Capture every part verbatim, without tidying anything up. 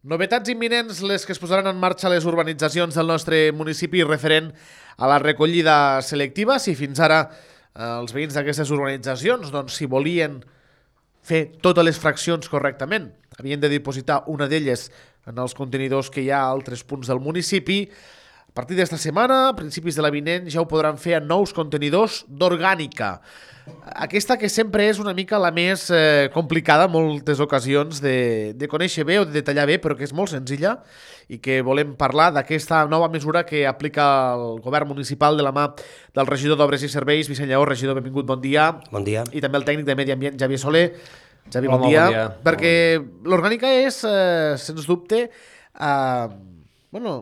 Novetats imminents les que es posaran en marxa les urbanitzacions del nostre municipi referent a la recollida selectiva. Si fins ara eh, els veïns d'aquestes urbanitzacions, doncs, si volien fer totes les fraccions correctament, havien de dipositar una d'elles en els contenidors que hi ha a altres punts del municipi. A partir d'esta setmana, a principis de la vinent, ja ho podran fer en nous contenidors d'orgànica. Aquesta que sempre és una mica la més eh, complicada en moltes ocasions de, de conèixer bé o de detallar bé, però que és molt senzilla i que volem parlar d'aquesta nova mesura que aplica el govern municipal de la mà del regidor d'Obres i Serveis, Vicent Lleó. Regidor, benvingut, bon dia. Bon dia. I també el tècnic de Medi Ambient, Javier Soler. Javi, Hola, bon dia. bon dia. Perquè l'orgànica és, eh, sens dubte, eh, bueno,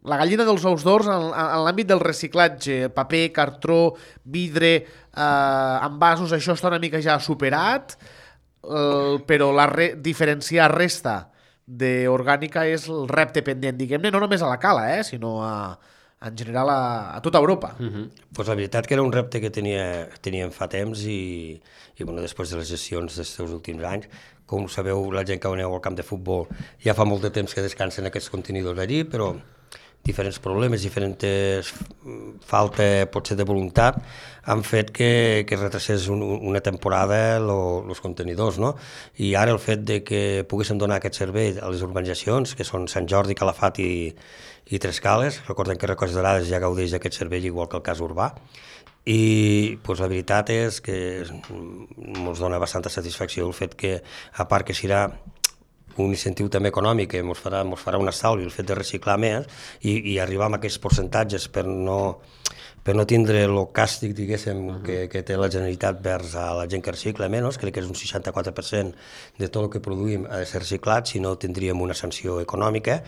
la gallina dels ous d'or en, en l'àmbit del reciclatge. Paper, cartró, vidre, eh, envasos, això està una mica ja superat, eh, però la re, diferenciar resta d'orgànica és el repte pendent, diguem-ne, no només a la Cala, eh, sinó a, en general a, a tota Europa. Uh -huh. Pues la veritat que era un repte que tenia, teníem fa temps i, i bueno, després de les gestions dels últims anys, com sabeu, la gent que aneu al camp de futbol ja fa molt de temps que descansen aquests contenidors allí, però diferents problemes, diferents falta potser de voluntat han fet que, que es retracés un, una temporada els contenidors, no? I ara el fet de que poguéssim donar aquest servei a les urbanitzacions, que són Sant Jordi, Calafat i, i Tres Cales, recordem que Recolls d'Orades ja gaudeix d'aquest servei igual que el cas urbà, i pues, la veritat és que ens dona bastanta satisfacció el fet que, a part que serà un incentiu també econòmic que ens farà, ens farà un estalvi el fet de reciclar més i, i arribar a aquests percentatges per no, per no tindre el càstig, diguéssim, uh -huh. que, que té la Generalitat vers a la gent que recicla menys, crec que és un seixanta-quatre per cent de tot el que produïm ha de ser reciclat, si no tindríem una sanció econòmica.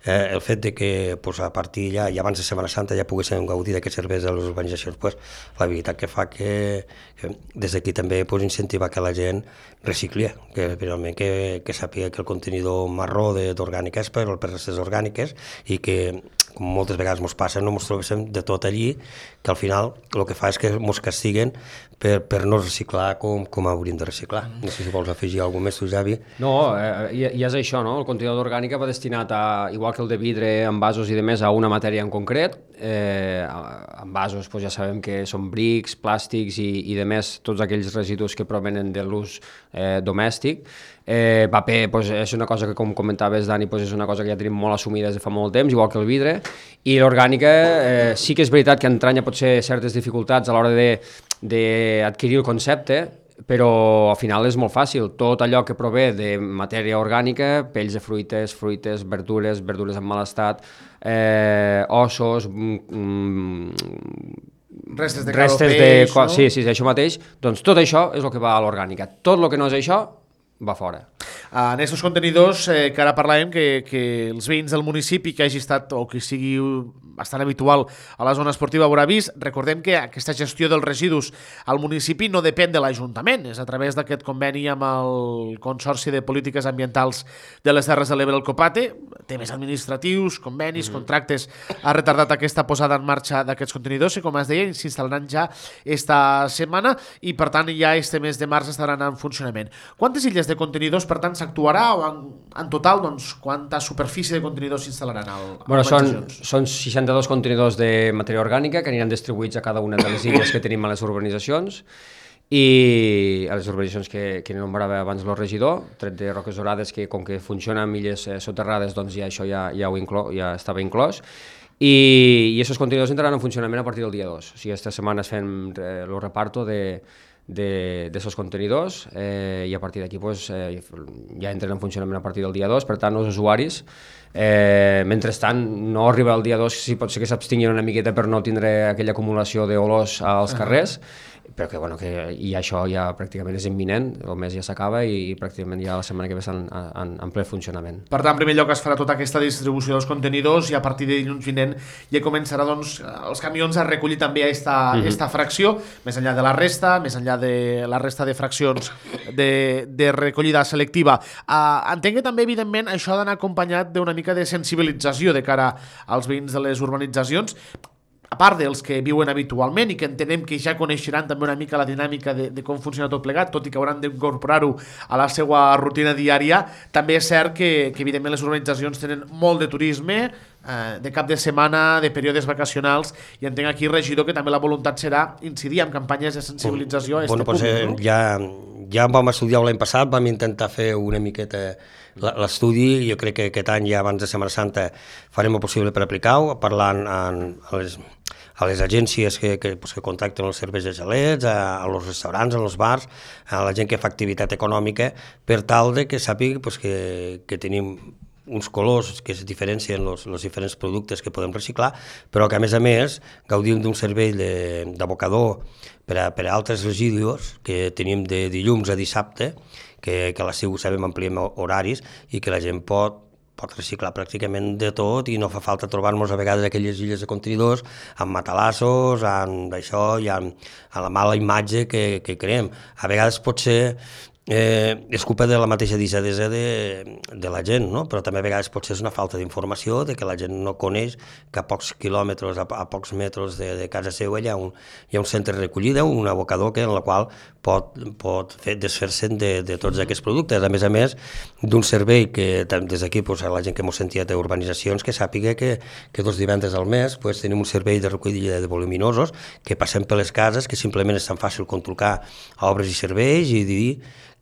Eh, el fet de que pues, a partir ja, i abans de Setmana Santa ja poguéssim gaudir d'aquests serveis de les urbanizacions, pues, la veritat que fa que, que des d'aquí també pues, incentivar que la gent recicli, que realment que, que sàpiga que el contenidor marró d'orgànica és per, per les orgàniques i que com moltes vegades ens passa, no ens trobem de tot allí, que al final el que fa és que ens castiguen per, per no reciclar com, com hauríem de reciclar. No sé si vols afegir alguna cosa més, tu, Javi. No, eh, i, i és això, no? El contenidor d'orgànica va destinat, a, igual que el de vidre, envasos i de més, a una matèria en concret. Eh, envasos, doncs ja sabem que són brics, plàstics i, i de més, tots aquells residus que provenen de l'ús eh, domèstic. Eh, paper doncs, és una cosa que, com comentaves, Dani, doncs és una cosa que ja tenim molt assumida des de fa molt temps, igual que el vidre, i l'orgànica eh, sí que és veritat que entranya potser certes dificultats a l'hora d'adquirir el concepte, però al final és molt fàcil. Tot allò que prové de matèria orgànica, pells de fruites, fruites, verdures, verdures en mal estat, eh, ossos, mm, restes de restes peix, de, no? Sí, sí, això mateix. Doncs tot això és el que va a l'orgànica. Tot el que no és això va fora. En aquests contenidors eh, que ara parlàvem, que, que els veïns del municipi que hagi estat o que sigui bastant habitual a la zona esportiva haurà vist, recordem que aquesta gestió dels residus al municipi no depèn de l'Ajuntament, és a través d'aquest conveni amb el Consorci de Polítiques Ambientals de les Terres de l'Ebre, el COPATE, temes administratius, convenis, mm-hmm. contractes, ha retardat aquesta posada en marxa d'aquests contenidors i, com es deia, s'instal·laran ja esta setmana i, per tant, ja este mes de març estaran en funcionament. Quantes illes de contenidors, per tant, s'actuarà o en, en total, doncs, quanta superfície de contenidors s'instal·laran al, bueno, són, són seixanta-dos contenidors de matèria orgànica que aniran distribuïts a cada una de les illes que tenim a les urbanitzacions i a les urbanitzacions que, que nombrava abans el regidor, tret de Roques Dorades, que com que funciona amb illes eh, soterrades, doncs ja això ja, ja, ho inclo, ja estava inclòs. I, i aquests contenidors entraran en funcionament a partir del dia dos. O sigui, aquesta setmana fem eh, el reparto de d'aquests contenidors eh, i a partir d'aquí pues, eh, ja entren en funcionament a partir del dia dos, per tant els usuaris eh, mentrestant no arriba el dia dos, si pot ser que s'abstinguin una miqueta per no tindre aquella acumulació d'olors als carrers, però que, bueno, que i això ja pràcticament és imminent, el mes ja s'acaba i, i pràcticament ja la setmana que ve estan en, en ple funcionament. Per tant, en primer lloc es farà tota aquesta distribució dels contenidors i a partir de dilluns vinent ja començarà doncs, els camions a recollir també aquesta, mm-hmm. esta fracció, més enllà de la resta, més enllà de la resta de fraccions de, de recollida selectiva. Uh, entenc que també, evidentment, això ha d'anar acompanyat d'una mica de sensibilització de cara als veïns de les urbanitzacions. a part dels que viuen habitualment i que entenem que ja coneixeran també una mica la dinàmica de, de com funciona tot plegat, tot i que hauran d'incorporar-ho a la seva rutina diària, també és cert que, que evidentment les urbanitzacions tenen molt de turisme, eh, de cap de setmana, de períodes vacacionals, i entenc aquí, regidor, que també la voluntat serà incidir en campanyes de sensibilització a bueno, este pues, públic. eh, No? ja, ja vam estudiar l'any passat, vam intentar fer una miqueta l'estudi, jo crec que aquest any, ja abans de Setmana Santa, farem el possible per aplicar-ho, parlant en, a, les, a les agències que, que, pues, que contacten els serveis de gelets, a, a los restaurants, a los bars, a la gent que fa activitat econòmica, per tal de que sàpiga pues, que, que tenim uns colors que es diferencien els diferents productes que podem reciclar, però que a més a més gaudim d'un servei d'abocador per a, per a altres residus que tenim de dilluns a dissabte, que, que a l'estiu sabem ampliem horaris i que la gent pot pot reciclar pràcticament de tot i no fa falta trobar-nos a vegades aquelles illes de contenidors amb matalassos, amb això i amb, amb la mala imatge que, que creem. A vegades pot ser Eh, és culpa de la mateixa deixadesa de, de la gent, no? Però també a vegades potser és una falta d'informació, de que la gent no coneix que a pocs quilòmetres, a, a pocs metres de, de casa seva hi ha, un, hi ha un centre de recollida, un abocador que, en la qual pot, pot fer desfer-se'n de, de tots aquests productes. A més a més, d'un servei que des d'aquí pues, a la gent que m'ho sentia d'urbanitzacions que sàpiga que, que dos divendres al mes pues, tenim un servei de recollida de voluminosos que passem per les cases, que simplement és tan fàcil controlar a obres i serveis i dir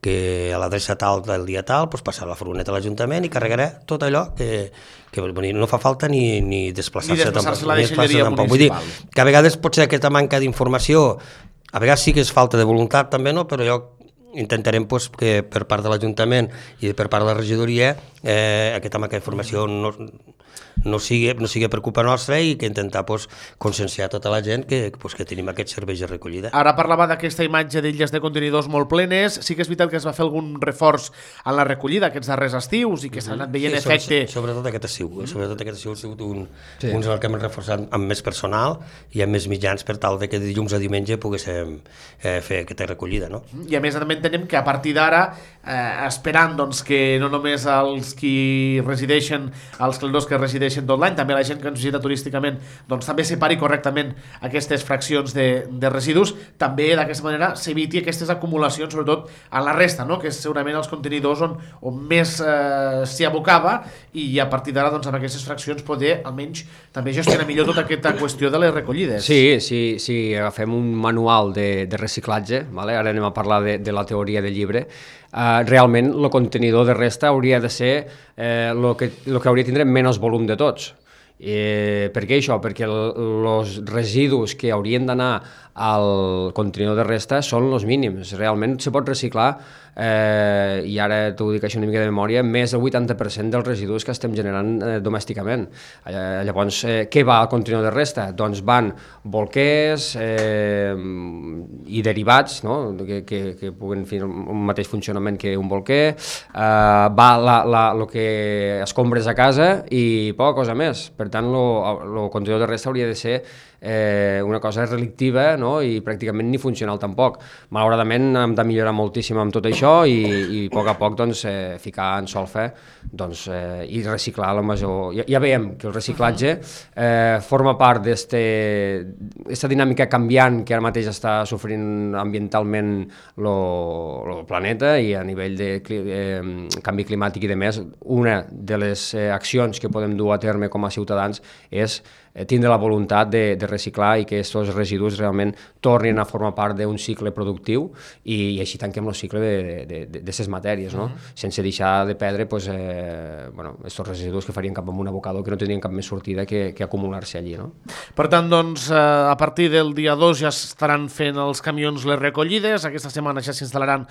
que a l'adreça tal del dia tal pues, passar la furgoneta a l'Ajuntament i carregarà tot allò que, que no fa falta ni, ni desplaçar-se ni desplaçar-se a la deixalleria municipal. Vull dir, que a vegades potser aquesta manca d'informació, a vegades sí que és falta de voluntat també, no? Però jo intentarem pues, que per part de l'Ajuntament i per part de la regidoria eh, aquesta manca d'informació no, no, sigui, no sigui per culpa nostra i que intentar pues, conscienciar tota la gent que, pues, que tenim aquests serveis de recollida. Ara parlava d'aquesta imatge d'illes de contenidors molt plenes, sí que és veritat que es va fer algun reforç en la recollida aquests darrers estius i que s'ha anat veient sí, efecte... Sobre, sobretot aquest estiu, eh? sobretot aquest estiu ha sigut un, sí. uns que hem reforçat amb més personal i amb més mitjans per tal de que dilluns a diumenge poguéssim eh, fer aquesta recollida. No? I a més també entenem que a partir d'ara, eh, esperant doncs, que no només els qui resideixen, els clenors que resideixen tot l'any, també la gent que ens visita turísticament doncs, també separi correctament aquestes fraccions de, de residus, també d'aquesta manera s'eviti aquestes acumulacions, sobretot a la resta, no? Que és segurament els contenidors on, on més eh, s'hi abocava i a partir d'ara doncs, amb aquestes fraccions poder almenys també gestionar millor tota aquesta qüestió de les recollides. Sí, sí, sí, agafem un manual de, de reciclatge, vale? Ara anem a parlar de, de la teoria del llibre. Uh, realment el contenidor de resta hauria de ser eh, lo que, lo que hauria de tindre menys volum de tots. Eh, per què això? Perquè els residus que haurien d'anar al contenidor de resta són els mínims. Realment se pot reciclar, eh, i ara t'ho dic això una mica de memòria, més del vuitanta per cent dels residus que estem generant eh, domèsticament. Eh, llavors, eh, què va al contenidor de resta? Doncs van bolquers eh, i derivats, no? que, que, que puguen fer un mateix funcionament que un bolquer, eh, va la, la, lo que escombres a casa i poca cosa més. Per tant, el contenidor de resta hauria de ser eh, una cosa relictiva, no? I pràcticament ni funcional tampoc. Malauradament hem de millorar moltíssim amb tot això i, i a poc a poc doncs, eh, ficar en solfa doncs, eh, i reciclar la major... Ja, ja veiem que el reciclatge eh, forma part d'aquesta dinàmica canviant que ara mateix està sofrint ambientalment el planeta i a nivell de eh, canvi climàtic i de més. Una de les eh, accions que podem dur a terme com a ciutadans és tindre la voluntat de, de reciclar i que aquests residus realment tornin a formar part d'un cicle productiu i, i així tanquem el cicle d'aquestes matèries, no? Uh-huh. Sense deixar de perdre pues, eh, bueno, aquests residus que farien cap amb un abocador que no tindrien cap més sortida que, que acumular-se allí. No? Per tant, doncs, eh, a partir del dia dos ja estaran fent els camions les recollides, aquesta setmana ja s'instal·laran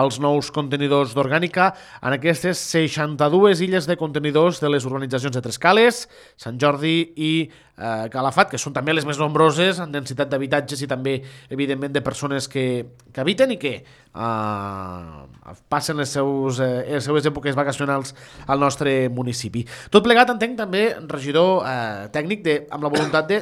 els nous contenidors d'orgànica en aquestes seixanta-dues illes de contenidors de les urbanitzacions de Trescales, Sant Jordi i eh, Calafat, que són també les més nombroses en densitat d'habitatges i també, evidentment, de persones que, que habiten i que eh, passen les, seus, eh, les seues èpoques vacacionals al nostre municipi. Tot plegat, entenc, també, regidor eh, tècnic, de, amb la voluntat de,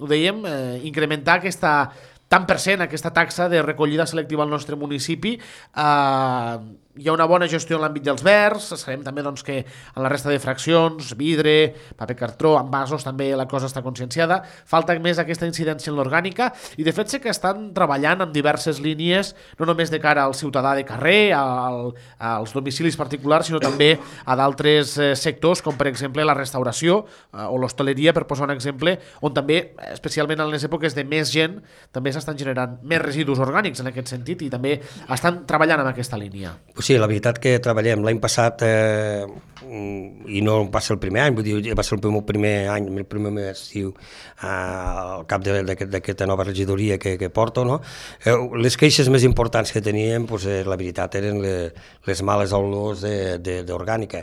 ho dèiem, eh, incrementar aquesta tant per cent, aquesta taxa de recollida selectiva al nostre municipi, eh, hi ha una bona gestió en l'àmbit dels verds, sabem també doncs, que en la resta de fraccions, vidre, paper cartró, envasos, també la cosa està conscienciada, falta més aquesta incidència en l'orgànica, i de fet sé que estan treballant en diverses línies, no només de cara al ciutadà de carrer, al, als domicilis particulars, sinó també a d'altres eh, sectors, com per exemple la restauració eh, o l'hostaleria, per posar un exemple, on també, especialment en les èpoques de més gent, també s'estan generant més residus orgànics en aquest sentit, i també estan treballant en aquesta línia. Sí, la veritat que treballem l'any passat, eh, i no va ser el primer any, vull dir, va ser el meu primer any, el primer estiu eh, al cap d'aquesta nova regidoria que, que porto, no? Eh, les queixes més importants que teníem, pues, eh, la veritat, eren les, les males olors d'orgànica.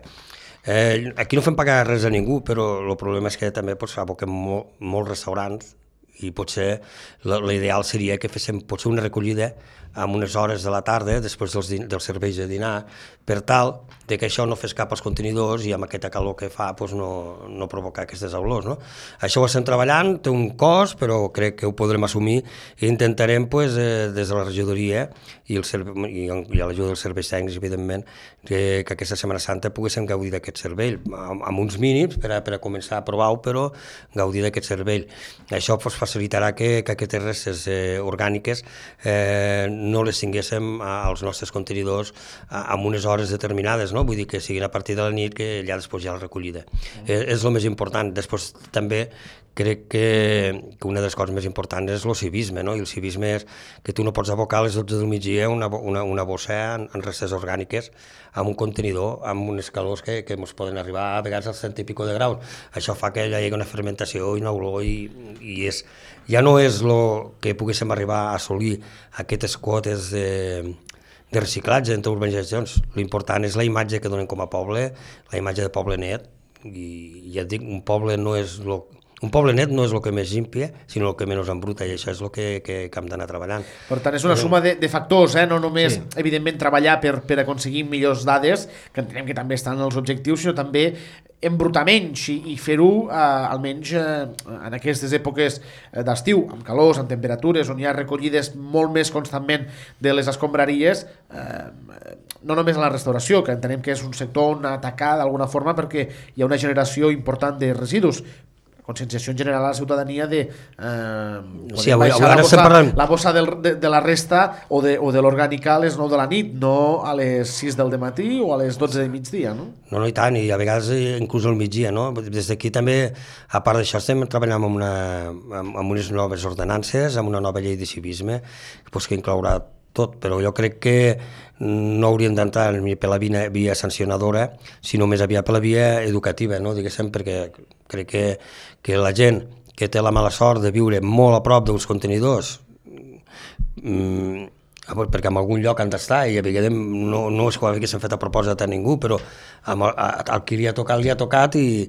Eh, aquí no fem pagar res a ningú, però el problema és que també pues, aboquem molt, molts restaurants, i potser l'ideal seria que féssim potser una recollida amb unes hores de la tarda, després dels, dels serveis de dinar, per tal de que això no fes cap als contenidors i amb aquesta calor que fa pues, no, no provocar aquestes olors. No? Això ho estem treballant, té un cost, però crec que ho podrem assumir i intentarem pues, eh, des de la regidoria i, el i, i a l'ajuda dels serveis tècnics, evidentment, que, que aquesta Setmana Santa poguéssim gaudir d'aquest servei, amb, amb uns mínims per a, per a començar a provar-ho, però gaudir d'aquest servei. Això pues, facilitarà que, que aquestes restes eh, orgàniques eh, no les tinguéssim als nostres contenidors amb unes hores determinades, no? Vull dir que siguin a partir de la nit que allà després hi ha la recollida. Mm. És, és el més important. Després també crec que, que una de les coses més importants és el civisme, no? I el civisme és que tu no pots abocar a les dotze del migdia una, una, una bossa en, en restes orgàniques amb un contenidor, amb unes calors que, que ens poden arribar a vegades als cent i pico de graus. Això fa que hi hagi una fermentació i una olor i, i és, ja no és el que poguéssim arribar a assolir aquestes quotes de, de reciclatge entre urbanitzacions. L'important és la imatge que donem com a poble, la imatge de poble net, i ja et dic, un poble no és lo, un poble net no és el que més limpia, sinó el que menys embruta, i això és el que, que, que hem d'anar treballant. Per tant, és una suma de, de factors, eh? No només, sí. evidentment, treballar per, per aconseguir millors dades, que entenem que també estan els objectius, sinó també embrutar menys i, i fer-ho eh, almenys eh, en aquestes èpoques d'estiu, amb calors, amb temperatures, on hi ha recollides molt més constantment de les escombraries, eh, no només a la restauració, que entenem que és un sector on atacar d'alguna forma perquè hi ha una generació important de residus, conscienciació en general a la ciutadania de eh, sí, avui, baixar la bossa, parlant... la bossa del, de, de la resta o de, o de l'orgànica a les nou de la nit, no a les sis del dematí o a les dotze del migdia, no? No, no, i tant, i a vegades inclús al migdia, no? Des d'aquí també, a part d'això, estem treballant amb, una, amb, amb unes noves ordenances, amb una nova llei de civisme, pues, que inclourà tot, però jo crec que no hauríem d'entrar ni per la via, via sancionadora, sinó més aviat per la via educativa, no? Diguéssim, perquè crec que, que la gent que té la mala sort de viure molt a prop dels contenidors, mmm, perquè en algun lloc han d'estar, i a vegades no, no és que haguéssim fet a propòsit a ningú, però amb el, el que li ha tocat, li ha tocat, i,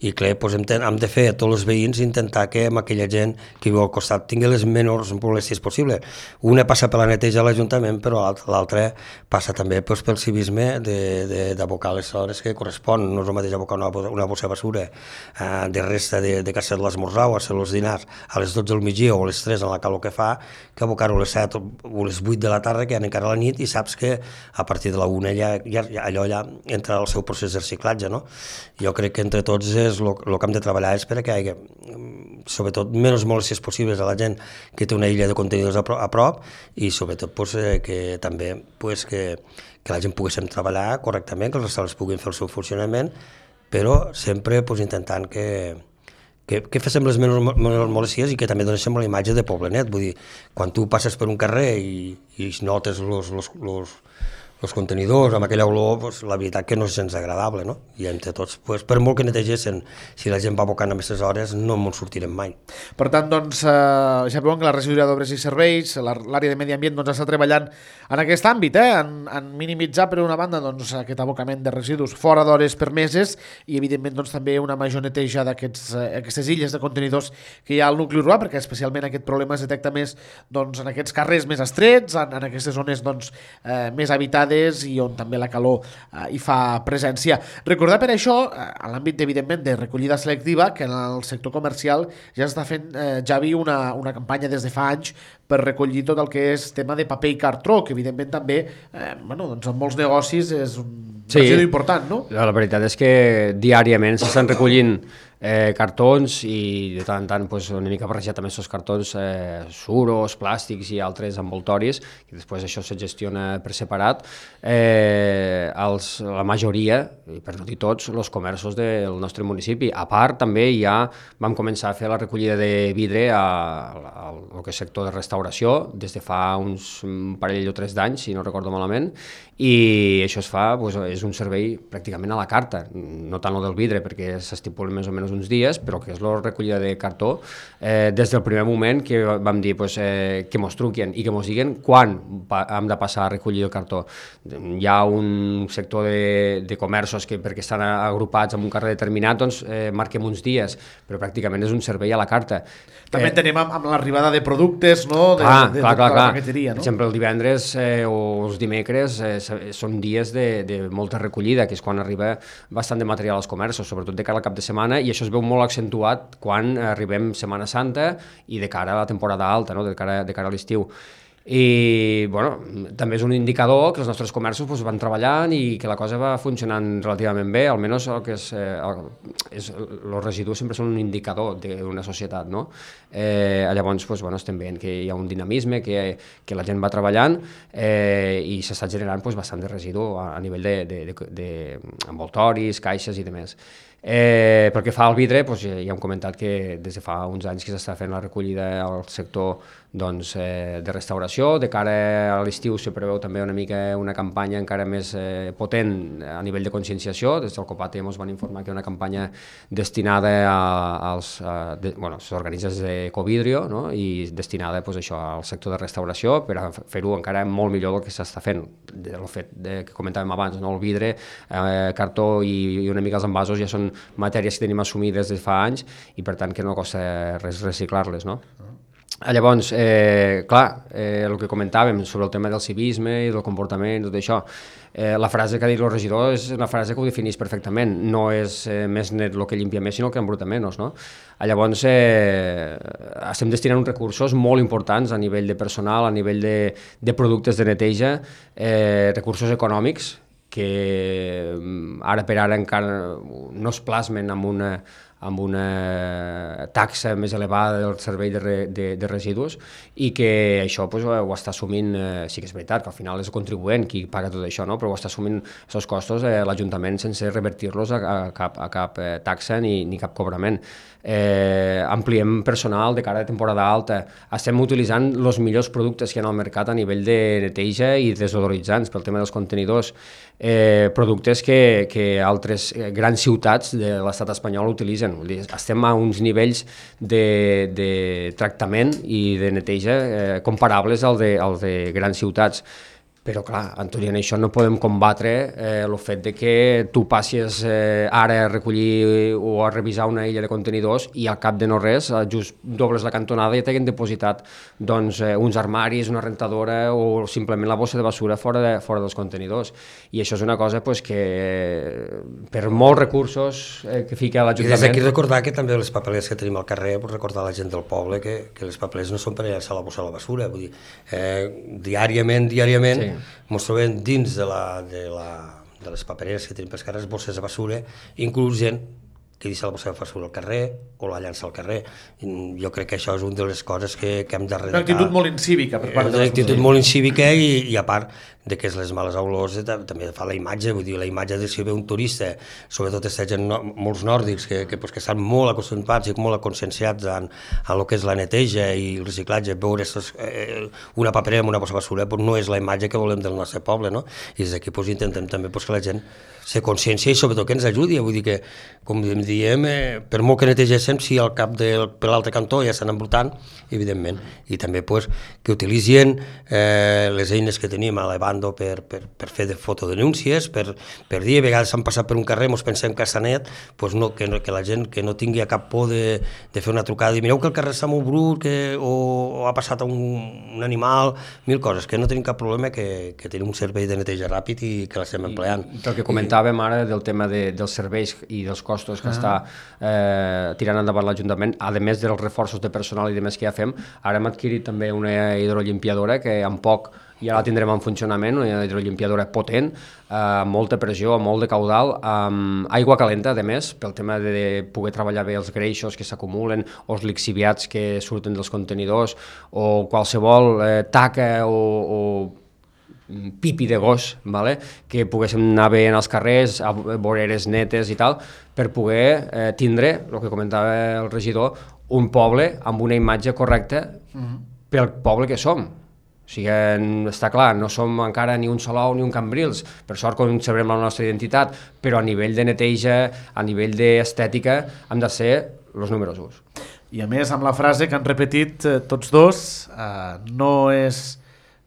i clar, doncs hem, hem de fer a tots els veïns intentar que amb aquella gent que viu al costat tingui les menors molèsties possibles. Una passa per la neteja a l'Ajuntament, però l'altra passa també doncs, pel civisme d'abocar les hores que correspon. No és el mateix abocar una, una bossa de basura eh, de resta de, de casa de l'esmorzar o a ser els dinars a les dotze del migdia o a les tres en la calor que fa, que abocar-ho a les set o les vuit de la tarda, que ja encara a la nit, i saps que a partir de la una ja, ja, allò ja entra al seu procés de reciclatge, no? Jo crec que entre tots és el que hem de treballar és per a que hi hagi, sobretot, menys molèsties possibles a la gent que té una illa de contenidors a, pro, a prop, i sobretot pues, eh, que també pues, que, que la gent poguéssim treballar correctament, que els restaurants puguin fer el seu funcionament, però sempre pues, intentant que que, que féssim les menys molèsties i que també donéssim la imatge de poblenet. Vull dir, quan tu passes per un carrer i, i notes los, los, los, els contenidors amb aquella olor, pues, la veritat que no és gens agradable, no? I entre tots, pues, per molt que netegessin, si la gent va abocant a aquestes hores, no ens sortirem mai. Per tant, doncs, eh, ja veuen que la regidoria d'Obres i Serveis, l'àrea de Medi Ambient, doncs, està treballant en aquest àmbit, eh? en, en minimitzar, per una banda, doncs, aquest abocament de residus fora d'hores permeses i, evidentment, doncs, també una major neteja d'aquestes illes de contenidors que hi ha al nucli urbà, perquè especialment aquest problema es detecta més doncs, en aquests carrers més estrets, en, en aquestes zones doncs, eh, més habitades i on també la calor eh, hi fa presència. Recordar per això, eh, en l'àmbit, evidentment, de recollida selectiva, que en el sector comercial ja està fent, eh, Javi, una, una campanya des de fa anys per recollir tot el que és tema de paper i cartró, que evidentment també, eh, bueno, doncs en molts negocis és un Sí. residus important, no? La veritat és que diàriament s'estan recollint eh, cartons i de tant en tant pues, una mica barrejat amb aquests cartons eh, suros, plàstics i altres envoltoris, i després això se gestiona per separat. Eh, els, la majoria, i per no dir tots, els comerços del nostre municipi. A part, també ja vam començar a fer la recollida de vidre al, al, al que és sector de restauració des de fa uns un parell o tres d'anys, si no recordo malament, i això es fa, pues, és un servei pràcticament a la carta, no tant el del vidre perquè s'estipula més o menys uns dies, però que és la recollida de cartó, eh, des del primer moment que vam dir pues, eh, que mos truquen i que mos diguen quan hem de passar a recollir el cartó. Hi ha un sector de, de comerços que perquè estan agrupats en un carrer determinat doncs eh, marquem uns dies, però pràcticament és un servei a la carta. També eh, tenem amb, amb l'arribada de productes, no? De, clar, de, de, clar, de clar, la clar. paqueteria, no? Per exemple, el divendres eh, o els dimecres eh, són dies de, de molta recollida, que és quan arriba bastant de material als comerços, sobretot de cara al cap de setmana, i això es veu molt accentuat quan arribem Setmana Santa i de cara a la temporada alta, no? de cara, de cara a l'estiu. I bueno, també és un indicador que els nostres comerços pues, van treballant i que la cosa va funcionant relativament bé, almenys el que és, eh, el, és els residus sempre són un indicador d'una societat, no? Eh, llavors pues, bueno, estem veient que hi ha un dinamisme, que, que la gent va treballant eh, i s'està generant pues, bastant de residu a, a nivell d'envoltoris, caixes i demés. Eh, pel que fa al vidre, doncs, ja, ja hem comentat que des de fa uns anys que s'està fent la recollida al sector doncs, eh, de restauració. De cara a l'estiu se preveu també una mica una campanya encara més eh, potent a nivell de conscienciació. Des del COPATE ens van informar que hi ha una campanya destinada a, als a, de, bueno, als organismes d'Ecovidrio, no? I destinada pues, això, al sector de restauració per a fer-ho encara molt millor del que s'està fent. El fet de, que comentàvem abans, no? El vidre, eh, cartó i, i una mica els envasos ja són matèries que tenim assumides des de fa anys i per tant que no costa res reciclar-les, no? Llavors, eh, clar, eh, el que comentàvem sobre el tema del civisme i del comportament, tot això, eh, la frase que ha dit el regidor és una frase que ho defineix perfectament, no és eh, més net el que llimpia més, sinó el que embruta menys, no? Llavors, eh, estem destinant uns recursos molt importants a nivell de personal, a nivell de, de productes de neteja, eh, recursos econòmics, que ara per ara encara no es plasmen amb una, amb una taxa més elevada del servei de, re, de, de residus i que això pues, ho està assumint, eh, sí que és veritat, que al final és el contribuent qui paga tot això, no? Però ho està assumint aquests costos eh, l'Ajuntament sense revertir-los a, a cap, a cap eh, taxa ni, ni cap cobrament. Eh, ampliem personal de cara a temporada alta, estem utilitzant els millors productes que hi ha al mercat a nivell de neteja i desodoritzants pel tema dels contenidors, eh, productes que, que altres grans ciutats de l'estat espanyol utilitzen. Estem a uns nivells de, de tractament i de neteja eh, comparables al de, al de grans ciutats. Però, clar, tot i en això no podem combatre eh, el fet de que tu passis eh, ara a recollir o a revisar una illa de contenidors i al cap de no res, just dobles la cantonada i t'haguen depositat doncs, eh, uns armaris, una rentadora o simplement la bossa de basura fora, de, fora dels contenidors. I això és una cosa pues, que eh, per molts recursos eh, que fica l'Ajuntament... I des d'aquí recordar que també les papeleres que tenim al carrer, pues, recordar a la gent del poble que, que les papeleres no són per llançar la bossa a la basura, vull dir, eh, diàriament, diàriament, sí. Ens trobem dins de, la, de, la, de les papereres que tenim pels carrers, bosses de basura, inclús gent que deixa la bossa de basura al carrer o la llança al carrer. Jo crec que això és una de les coses que, que hem de redactar. Una actitud molt incívica per part de les Una actitud molt incívica i, i a part de que és les males olors també fa la imatge, vull dir, la imatge de si ve un turista, sobretot aquesta gent, no, molts nòrdics que, que, pues, que estan molt acostumats i molt conscienciats en, en el que és la neteja i el reciclatge, veure estos, eh, una paperera amb una bossa de basura pues, no és la imatge que volem del nostre poble, no? I des d'aquí pues, intentem també pues, que la gent se consciència i sobretot que ens ajudi, vull dir que, com diem, eh, per molt que netegéssim, si al cap de, per l'altre cantó ja estan embrutant, evidentment, i també pues, que utilitzin eh, les eines que tenim a l'Evando per, per, per fer de fotodenúncies, per, per dir, a vegades s'han passat per un carrer, ens pensem que està net, pues no, que, que la gent que no tingui cap por de, de fer una trucada i mireu que el carrer està molt brut, que, o, o ha passat un, un animal, mil coses, que no tenim cap problema, que, que tenim un servei de neteja ràpid i que l'estem empleant. I el que comentàvem ara del tema de, dels serveis i dels costos que està eh, tirant endavant l'Ajuntament, a més dels reforços de personal i de més que ja fem. Ara hem adquirit també una hidrolimpiadora que en poc ja la tindrem en funcionament, una hidrolimpiadora potent, amb eh, molta pressió, amb molt de caudal, amb aigua calenta, a més, pel tema de poder treballar bé els greixos que s'acumulen, o els lixiviats que surten dels contenidors, o qualsevol eh, taca o, o pipi de gos, vale? Que poguéssim anar bé en els carrers, a voreres netes i tal, per poder eh, tindre, el que comentava el regidor, un poble amb una imatge correcta mm-hmm. pel poble que som. O sigui, està clar, no som encara ni un Salou ni un Cambrils, per sort conservem la nostra identitat, però a nivell de neteja, a nivell d'estètica, hem de ser els números uns. I a més, amb la frase que han repetit eh, tots dos, eh, no és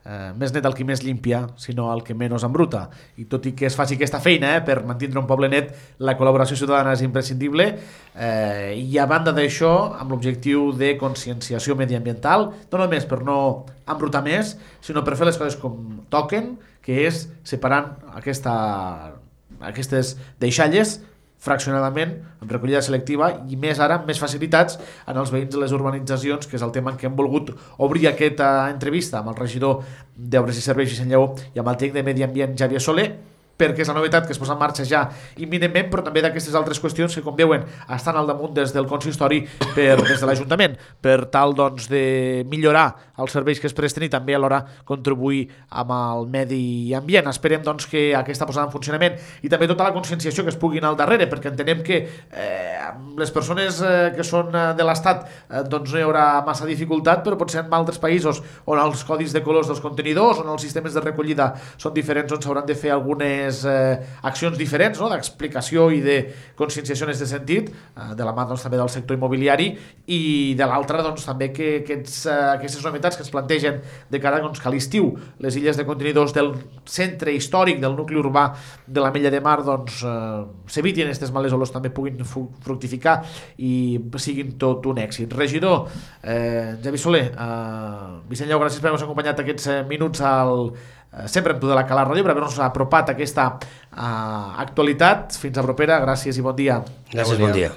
eh, més net el qui més limpia, sinó el que menys embruta. I tot i que es faci aquesta feina eh, per mantenir un poble net, la col·laboració ciutadana és imprescindible. Eh, I a banda d'això, amb l'objectiu de conscienciació mediambiental, no només per no embrutar més, sinó per fer les coses com toquen, que és separant aquesta, aquestes deixalles fraccionadament, amb recollida selectiva i més ara, més facilitats en els veïns de les urbanitzacions, que és el tema en què hem volgut obrir aquesta entrevista amb el regidor d'Obres i Serveis Vicent Lleó i amb el tècnic de Medi Ambient Xavier Soler, perquè és la novetat que es posa en marxa ja imminentment, però també d'aquestes altres qüestions que, com veuen, estan al damunt des del consistori per, des de l'Ajuntament, per tal doncs, de millorar els serveis que es presten i també alhora contribuir amb el medi ambient. Esperem doncs, que aquesta posada en funcionament i també tota la conscienciació que es pugui anar al darrere, perquè entenem que eh, les persones eh, que són de l'Estat eh, doncs no hi haurà massa dificultat, però potser en altres països on els codis de colors dels contenidors, on els sistemes de recollida són diferents, on s'hauran de fer algunes Eh, accions diferents, no? D'explicació i de conscienciació en aquest sentit, eh, de la mà doncs, també del sector immobiliari i de l'altra doncs, també que aquests, eh, aquestes novetats que es plantegen de cara doncs, que a l'estiu les illes de contenidors del centre històric del nucli urbà de la Mella de Mar doncs, eh, s'evitin aquestes males olors, també puguin fructificar i siguin tot un èxit. Regidor eh, Xavier Soler, eh, Vicent Lleó, gràcies per haver-nos acompanyat aquests eh, minuts al sempre amb tu de la Cala Ràdio per haver-nos apropat aquesta uh, actualitat. Fins a propera, gràcies i bon dia. Gràcies, bon dia.